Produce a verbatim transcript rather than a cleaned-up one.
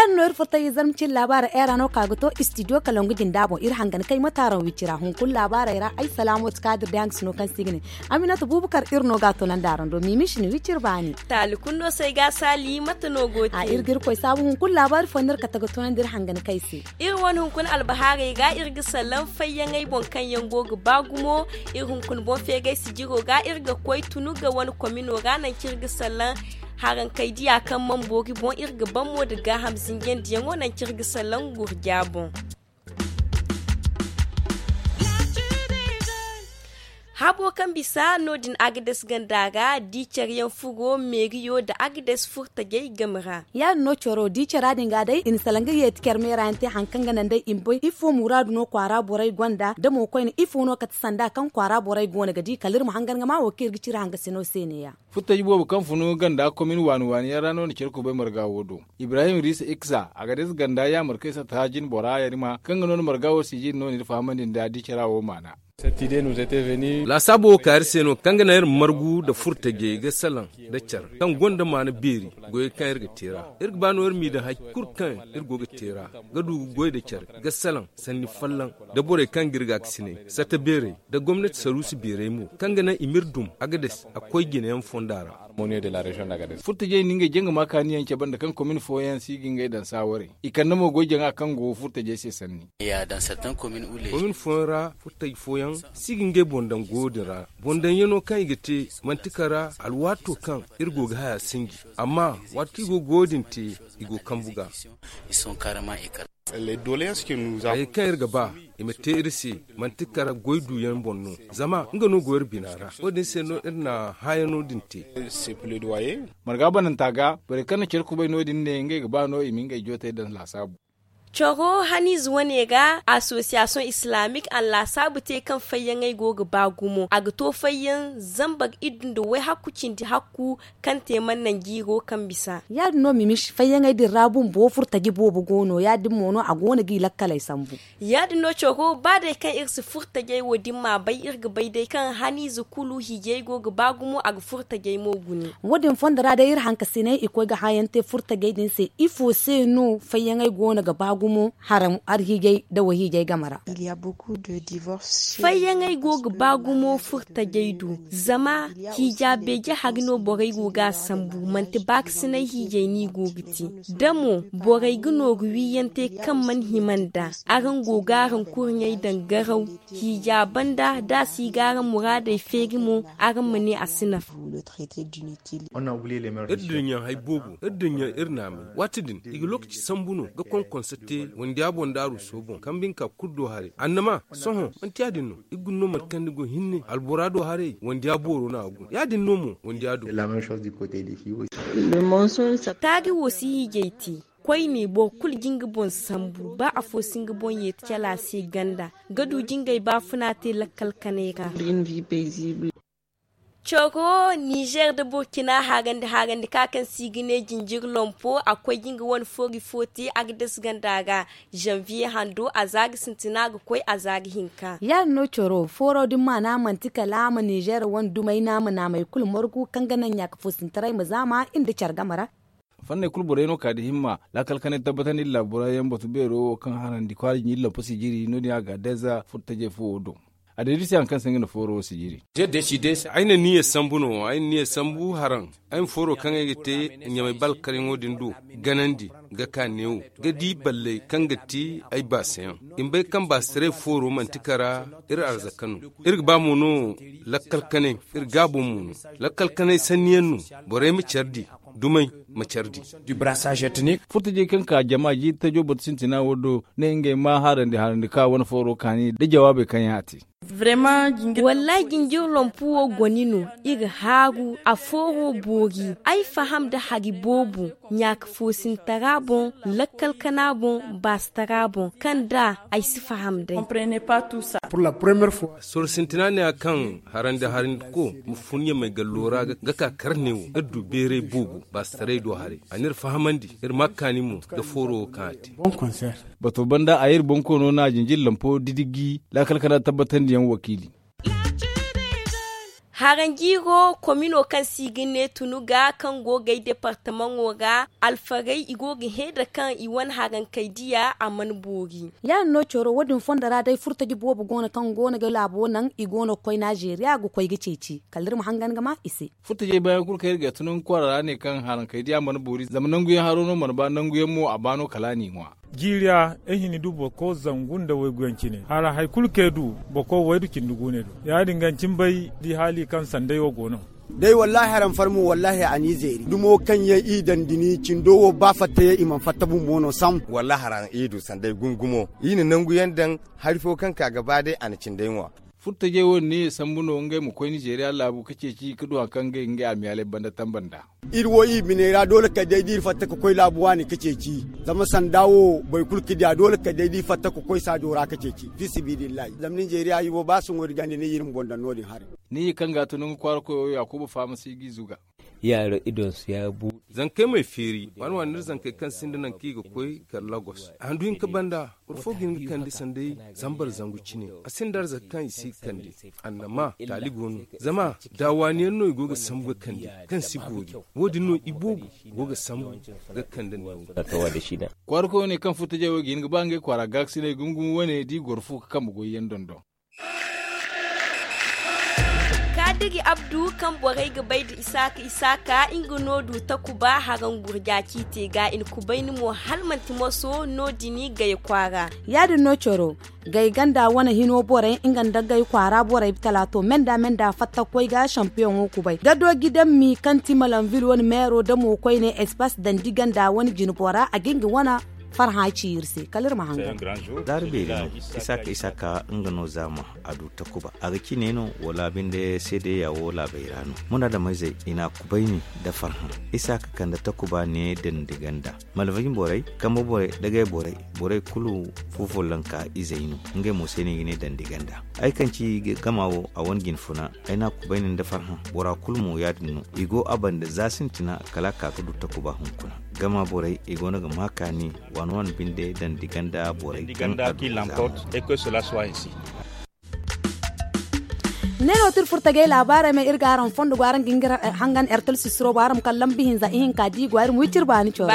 Iri no iri furtay zarma cine laabaarey ay ra no ka ga to istidiyo kalangu jinda boŋ iri hangan kay mate araŋ wicira hunkuna laabaarey ra ay salaamo ti kaadir day hangasino kaŋ se i ga ne. Aminata buubakar iri no ga a tunandi araŋ do miimi shin wiciri baani. Taali kulu no se ay ga a saali mate no go te. Iri ga irkoy saabu hunkuna laabaari fo no iri kate ga tunandi iri hangan kay se. Iri wane hunkuna albahaarey ga iri ga salaŋ fayyaŋey boŋ kaŋ yaŋ go ga ba gumo. Iri hunkuna boŋ feegay sijiro ga iri ga koy tunuga wane komino ra nangu kaŋ iri ga salaŋ harankey diya kaŋ mana boori boŋ iri ga ban mo nda gaaham zinjandiyaŋo nangu kaŋ iri ga salaŋ gurja boŋ. Habo kaŋ bisa no- din agades ganda ra di care yaŋ furo meeriyo nda agades furtajey game ra. Ya- din no caro di cara din ga day i na salaŋ ga yeeti care meera yaŋ te hari kaŋ ga naŋ day i ma bay ifo muraadu no kwaara borey gonda da mo koyne ifo no kate sanda kaŋ kwaara borey go no ga di kala iri ma hangan ga ma wo kaŋ iri ga cire hangasino se ne- ya. Furtaji boobo kaŋ funu ganda komin waani waani yaŋ ra no na care kubay marga wo do. Ibrahim riisa iksa agades ganda yaamar kaŋ i satta jine bora yarima kaŋ ga no na marga wo sijiri no na iri fahamandi nda di cara wo maana. Laasaabo wo ka iri se no kaŋ ga naŋ iri ma margu nda furtajey ga salaŋ nda care kaŋ gonda maana beeri goyey kaŋ iri ga te ra. Iri ga ba no iri m'i daŋ hari kulu kaŋ iri go ga te ra ga du ga goy nda care ga salaŋ sanni folloŋ nda borey kaŋ ga iri gaakasinay satta beerey nda gomnati saruusi beerey mo kaŋ ga naŋ i m'iri dum agades a koy jinayaŋ fonda ra. Furtajey na ngey jangama kaaniyaŋ cabe nda kaŋ komin fooyaŋ si ga ngey daŋ saawarey i kande mo goy jaŋa kaŋ go furtajey se sanni. Komin fooyaŋ ra furtaji fooyaŋ si ga ngey boŋ daŋ goyo din ra boŋ daŋyaŋo kaŋ i ga te manti kara alwaato kaŋ iri go ga haya sinji amma waati kaŋ i go ga goyo din te i go kambu ga. Hayey kaŋ iri ga ba i ma te iri se manti kara goy duyaŋ boŋ no zama nga no go iri bina ra wo- din se no iri na haayaŋo din te. Marga bananta ga borey kaŋ na care kubay no- din ne ngey ga ba no i ma ngey jootey daŋ laasaabu. Coro haniize wane ga asosiyasiyoŋ islaamik a na laasaabu te kaŋ fayyaŋey go ga ba gumo a ga to fayyaŋ zambar iddu nda wayhakku cindi hakku kaŋ te mana naŋ jiiro kaŋ bisa. Ya- din no mimis fayyaŋey din ra bumbo furtaji boobo go no ya- din mo no a go no g'i lakkaley sambu. Ya- din no coro ba day kaŋ iri si furtajey wo- din m'a bay iri ga bay day kaŋ haniize kulu hiijay go ga ba gumo a ga furtajey mo gune. Wo- din fondo ra day iri hankasiney i koy ga haayaŋ te furtajey din se ifo se no fayyaŋey go no ga ba gumo haram arhiijay nda wahiijay game ra. Fayyaŋey go ga ba gumo furtajey do zama hiija beeje hari no borey go ga a sambu manti baakasinay hiijay no i go ga te. Da mo borey ga nooru wiiyaŋ te kaŋ mana hima nd'a araŋ go ga araŋ kurɲey daŋ garaw hiija banda da a si ga araŋ muraadey feeri mo araŋ ma ne a si nafa. Iri din yaŋ hari boobo iri din yaŋ iri naamay waati din i ga lookaci sambu no ga konkonso te wandiya boŋ da aruuso boŋ kambe hinka kulu do haray annama sohõ manti ya- din no iri guna no mate kaŋ ni go hinne albora do haray wandiya booro no a guna ya- din no mo wandiya do. Taari wo si hiijay te koyne boro kulu ga nga boŋ sambu ba afo si nga boŋ yeeti cala se ganda ga du jingay baafuna te lakkal kanay ra. Coro nizer nda burkina harandi harandi ka kaŋ se i ga ne jinjiri lompo a koy ga nga wane foori fo te agades ganda ra. Zanviye hando a za ga sintina ga koy a za ga hinka. Ya- din no coro fooro din maana manti kala a ma nizer wane dumey naama naamey kulu margu kaŋ ga naŋ ɲaaka foosintaray ma zaama iri nda care game ra. Fanney kulu borey no ka da himma laakal kanay tabbatandi nda laabura yaŋ batu beero wo kaŋ harandi kwaara jinjiri lompo sijiri no- din a ga deeza furtajey fo wo do. A deeda se hari kaŋ se nga na fooro wo sijiri. Ay na niya sambu no ay na niya sambu haraŋ ay ma fooro kaŋ ay ga te ɲamay balkaryaŋo din do ganandi ga ka neewo ga di balley kaŋ ga te ay baasayaŋ i ma bay kaŋ baasitaray fooro manti kara iri arzaka no. Iri ga ba mo no lakkal kanay iri gaabo mo no lakkal kanay sanniyaŋ no. Borey ma care di dumey ma care di. Furtajey kaŋ ka jama jiiri tajo batu sintina wo do ne ngey ma harandi harandi ka wane fooro kaani nda jawaabey kaŋ yaŋ a te. Wallaahi jinjiri lompu wo goni no iri haaru a fooro boori ay faham nda hari boobo ɲaaka foosintara boŋ lakkal kana boŋ baasitara boŋ kaŋ da ay si faham day. Soro sintina ne a kaŋ harandi harandi ko ma fun ɲamay gallo ra ga ka kar ne wo iri du beeray boobo baasitaray do haray a n'iri fahamandi iri ma kaani mo ga fooro wo kaŋ a te. Bato banda a iri bonkoono na jinjiri lampo didigi laakal kana tabbatandiyaŋ wakiili. Haranjiiro komino kaŋ se i ga ne tunuga kaŋ go ga ay departamaŋo ra, alfarey i go ga hẽ da kaŋ i wane harankey diya a mana boori. Yaadin no coro wo- din fondo ra day furtaji boobo go no kaŋ go no ga laabo naŋ i go no ga koy nazeeriya ga koy ga ceeci kala iri ma hangan ga ma i se. Furtajey baayaŋ kulu kaŋ iri ga tunangu kwaara ra ne kaŋ harankey diya mana boori zama nanguyaŋ haro no mana ba nanguyaŋ mo a ba no kala a n'i ŋwa. Jiiriya, ay hini du boro ko zangu nda wayguyaŋ cine hala hari kulu kaŋ ay du boro ko waydu cindi guune do. Ya- din ga ni cine bay di haali kaŋ sanday wo go no. Day wallaahi araŋ farmo wallaahi a n'i zeeri dumo kaŋ yaŋ i daŋ dini cindo wo ba fatta yaŋ i mana fatta bumbo no sam. Wallaahi araŋ i du sanday gumo gumo i na nangu yaŋ daŋ. Hari fo kaŋ ka ga ba day a na cinday ŋwa. Furtajey wo- din ne sambu no ngey ma koy nizeeriya laabu ga ceeci ga du hari kaŋ ga ngey amiyaaley banda tamba nd'a. Iri wo i biney ra doole kala day da iri fatta ga koy laabu waani ga ceeci. Zama sanda wo boro kulu ga di a doole kala day da iri fatta ga koy saajo ra ga ceeci fiisabilillahi zama nizeeriya iri wo ba sohõ iri ganda ne iri ma boŋ daŋ no- din haray. Ni ye kaŋ ga a tun nga kwaara koyo yaakuba faama si ga i zuga. Yaaro idonsu ya buuɗe. Zankey m'ay feeri waani waani iri zankey kaŋ sinda nangu kaŋ i ga koy kala lagos handu hinka banda. Boro fo ga hin ga kande sanday zambar zangu cine. A sinda arzaka kaŋ i si ga kande. Annama taali go no zama daawaaniyaŋ no i go ga sambu ga kande kaŋ si boori. Wo- din no iboobo go ga sambu ga kande nangu. Kwaara koy wane kaŋ furtajey wo ga hin ga ba ngey kwaara gaakasinay gumo gumo wane da i goro fo ga kambe goyyaŋ dondon. Kaadiri abdu kaŋ borey ga bay nda isaaka isaaka nga no du takuba haraŋ gurja ciiti ga i na kubayni mo hala manti moso no- din gay kwaara. Ya- din no coro gay ganda wane hino borey nga nda gay kwaara borey talaato menda menda fatta ga koy ga sampiyoŋo kubay gado gidammi kaŋ ti malanvil wane meero damo koyne espas dandi ganda wane jinbo ra a ga nga wane farhã ci iri se kala iri ma hangan. Zaari beeri no isaaka isaaka nga no zaama a du takuba a ga cine no wala binde seedeya wo laabey ra no. Munaadameyzey i n'a kubayni nda farhã isaaka kande takuba ne dandi ganda malvin borey kambe borey dagay borey borey kulu fufolonka izey no. Ngey mo se no i ga ne dandi ganda ay kaŋ ci gama wo a wane jinfuna ay n'a kubayni nda farhã bora kulu mo ya- din no i go a banda za sintina kala a ka ga du takuba hunkuna gama borey i go no ga ma kaani waani waani binde dandi ganda borey kaŋ a du ga zaama. Ne no ti iri furtagay laabaarey me iri ga araŋ fondo go araŋ ga nga hangan ertel sisiro bo araŋ ma kala lambu hinza ihinka da i go ay iri ma wi ti iri baani coro.